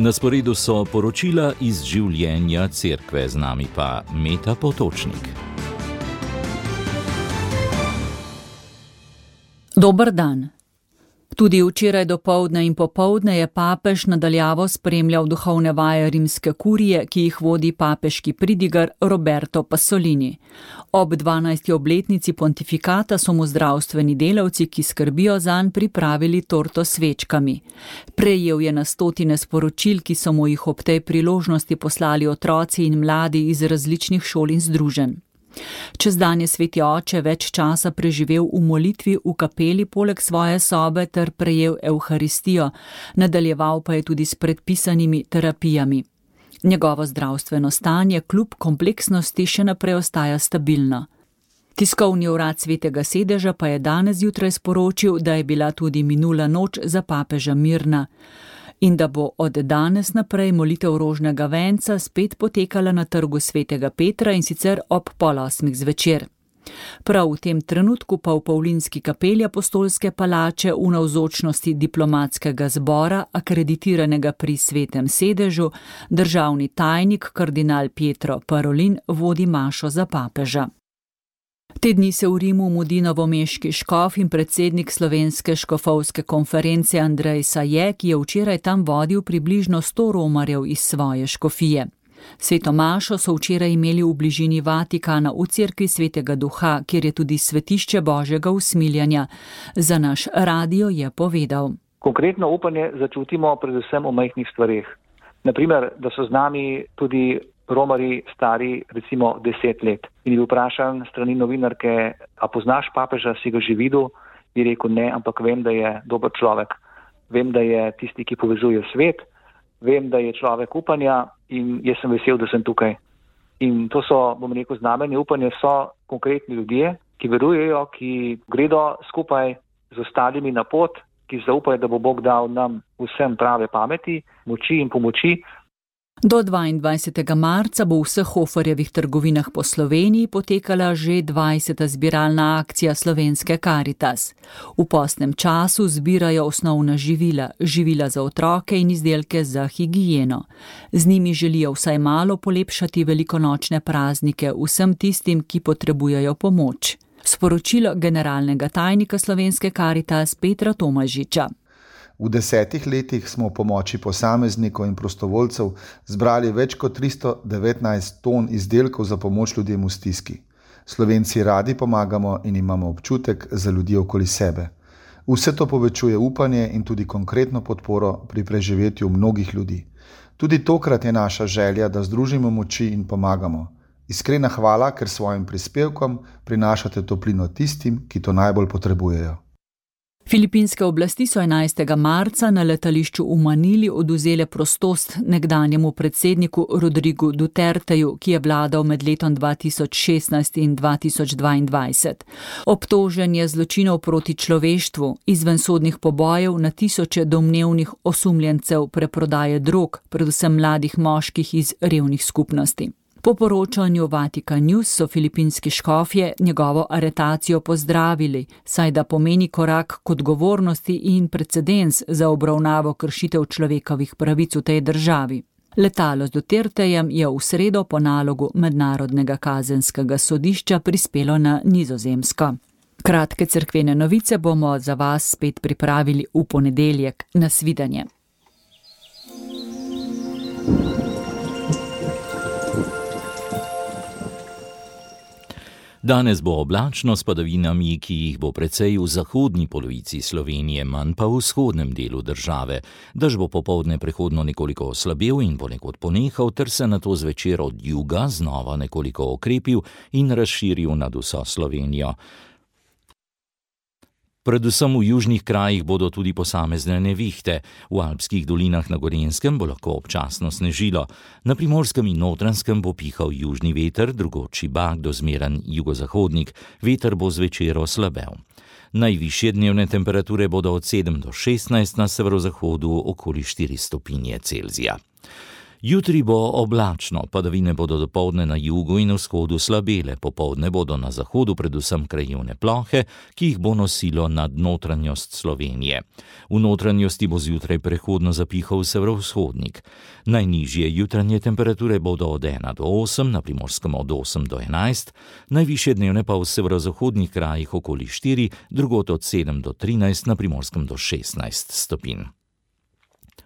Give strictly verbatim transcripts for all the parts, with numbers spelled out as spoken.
Na sporedu so poročila iz življenja cerkve, z nami pa Meta Potočnik. Dober dan. Tudi včeraj dopoldne in popoldne je papež nadaljavo spremljal duhovne vaje rimske kurije, ki jih vodi papeški pridigar Roberto Pasolini. Ob dvanajsti obletnici pontifikata so mu zdravstveni delavci, ki skrbijo zanj, pripravili torto s svečkami. Prejel je na stotine sporočil, ki so mu jih ob tej priložnosti poslali otroci in mladi iz različnih šol in združenj. Čez dan je sveti oče več časa preživel v molitvi v kapeli poleg svoje sobe ter prejel evharistijo, nadaljeval pa je tudi s predpisanimi terapijami. Njegovo zdravstveno stanje kljub kompleksnosti še naprej ostaja stabilno. Tiskovni urad Svetega sedeža pa je danes zjutraj sporočil, da je bila tudi minula noč za papeža mirna in da bo od danes naprej molitev rožnega venca spet potekala na trgu Svetega Petra in sicer ob pol osmih zvečer. Prav v tem trenutku pa v Pavlinski kapeli Apostolske palače v navzočnosti diplomatskega zbora, akreditiranega pri Svetem sedežu, državni tajnik kardinal Pietro Parolin vodi mašo za papeža. Te dni se v Rimu mudi novomeški škof in predsednik Slovenske škofovske konference Andrej Saje, ki je včeraj tam vodil približno sto romarjev iz svoje škofije. Sveto mašo so včeraj imeli v bližini Vatikana v cerkvi Svetega Duha, kjer je tudi svetišče Božjega usmiljanja. Za naš radio je povedal. Konkretno upanje začutimo predvsem v majhnih stvareh. Naprimer, da so z nami tudi romarji stari recimo deset let. In je bil vprašan strani novinarke, a poznaš papeža, si ga že videl? Je rekel ne, ampak vem, da je dober človek. Vem, da je tisti, ki povezuje svet. Vem, da je človek upanja in jaz sem vesel, da sem tukaj. In to so, bom rekel, znamenje upanja so konkretni ljudje, ki verujejo, ki gredo skupaj z ostalimi na pot, ki zaupajo, da bo Bog dal nam vsem prave pameti, moči in pomoči. Do dvaindvajsetega marca bo v vseh Hoferjevih trgovinah po Sloveniji potekala že dvajseta zbiralna akcija Slovenske Karitas. V postnem času zbirajo osnovna živila, živila za otroke in izdelke za higieno. Z njimi želijo vsaj malo polepšati velikonočne praznike vsem tistim, ki potrebujejo pomoč. Sporočilo generalnega tajnika Slovenske Karitas Petra Tomažiča. V desetih letih smo v pomoči posameznikov in prostovoljcev zbrali več kot tristo devetnajst ton izdelkov za pomoč ljudem v stiski. Slovenci radi pomagamo in imamo občutek za ljudi okoli sebe. Vse to povečuje upanje in tudi konkretno podporo pri preživetju mnogih ljudi. Tudi tokrat je naša želja, da združimo moči in pomagamo. Iskrena hvala, ker svojim prispevkom prinašate toplino tistim, ki to najbolj potrebujejo. Filipinske oblasti so enajstega marca na letališču v Manili odvzele prostost nekdanjemu predsedniku Rodrigu Duterteju, ki je vladal med letom dva tisoč šestnajst in dva tisoč dvaindvajset. Obtožen je zločinov proti človeštvu, izvensodnih pobojev na tisoče domnevnih osumljencev preprodaje drog, predvsem mladih moških iz revnih skupnosti. Po poročanju Vatican News so filipinski škofje njegovo aretacijo pozdravili, saj da pomeni korak k odgovornosti in precedens za obravnavo kršitev človekovih pravic v tej državi. Letalo z Dutertejem je v sredo po nalogu Mednarodnega kazenskega sodišča prispelo na Nizozemsko. Kratke cerkvene novice bomo za vas spet pripravili v ponedeljek. Nasvidenje. Danes bo oblačno s padavinami, ki jih bo precej v zahodni polovici Slovenije, manj pa v vzhodnem delu države. Dež bo popoldne prehodno nekoliko oslabel in ponekod ponehal, ter se nato zvečer od juga znova nekoliko okrepil in razširil nad vso Slovenijo. Predvsem v južnih krajih bodo tudi posamezne nevihte. V alpskih dolinah na Gorenjskem bo lahko občasno snežilo. Na Primorskem in Notranjskem bo pihal južni veter, drugod šibak do zmeren jugozahodnik. Veter bo zvečer oslabel. Najvišje dnevne temperature bodo od sedem do šestnajst, na severozahodu okoli štiri stopinje Celzija. Jutri bo oblačno, padavine bodo dopoldne na jugu in vzhodu slabele, popoldne bodo na zahodu predvsem krajevne plohe, ki jih bo nosilo nad notranjost Slovenije. V notranjosti bo zjutraj prehodno zapihal severovzhodnik. Najnižje jutranje temperature bodo od ena do osem, na Primorskem od osem do enajst, najvišje dnevne pa v severozahodnih krajih okoli štiri, drugod od sedem do trinajst, na Primorskem do šestnajst stopinj.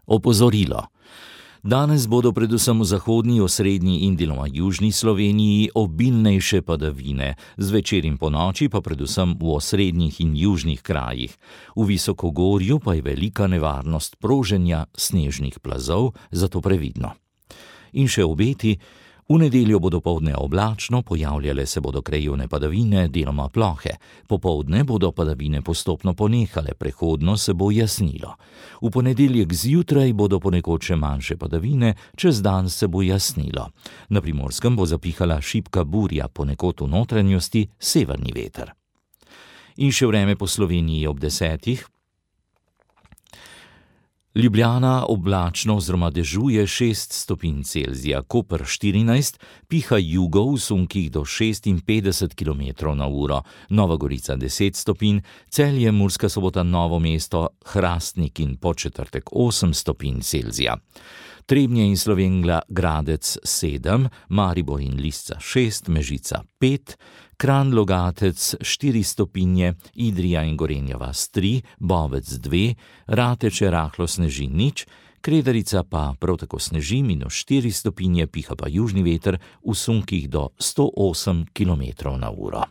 Opozorilo. Danes bodo predvsem v zahodni, osrednji in deloma južni Sloveniji obilnejše padavine, zvečer in ponoči pa predvsem v osrednjih in južnih krajih. V visokogorju pa je velika nevarnost proženja snežnih plazov, zato previdno. In še obeti. V nedeljo bo dopoldne oblačno, pojavljale se bodo krajevne padavine, deloma plohe. Popoldne bodo padavine postopno ponehale, prehodno se bo jasnilo. V ponedeljek zjutraj bodo ponekod še manjše padavine, čez dan se bo jasnilo. Na Primorskem bo zapihala šibka burja, ponekod v notranjosti severni veter. In še vreme po Sloveniji ob desetih. Ljubljana oblačno oziroma dežuje šest stopinj Celzija, Koper štirinajst, piha jugo v sunkih do šestinpetdeset kilometrov na uro, Nova Gorica deset stopinj, Celje, Murska Sobota, Novo mesto, Hrastnik in Podčetrtek osem stopinj Celzija. Trebnje in Slovenj Gradec sedem, Maribor in Lisca šest, Mežica pet, Kranj Logatec štiri stopinje, Idrija in Gorenja vas tri, Bovec dve, Rateče rahlo sneži nič, Kredarica pa prav tako sneži minus štiri stopinje, piha pa južni veter v sunkih do sto osem kilometrov na uro.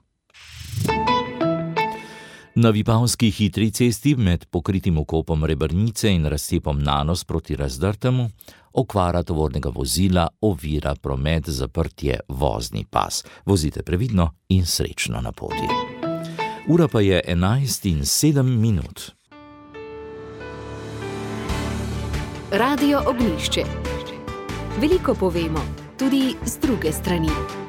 Na Vipavski hitri cesti med pokritim okopom Rebrnice in razcepom Nanos proti Razdrtemu okvara tovornega vozila ovira promet, zaprtje vozni pas. Vozite previdno in srečno na poti. Ura pa je enajst in sedem minut. Radio Ognjišče. Veliko povemo, tudi z druge strani.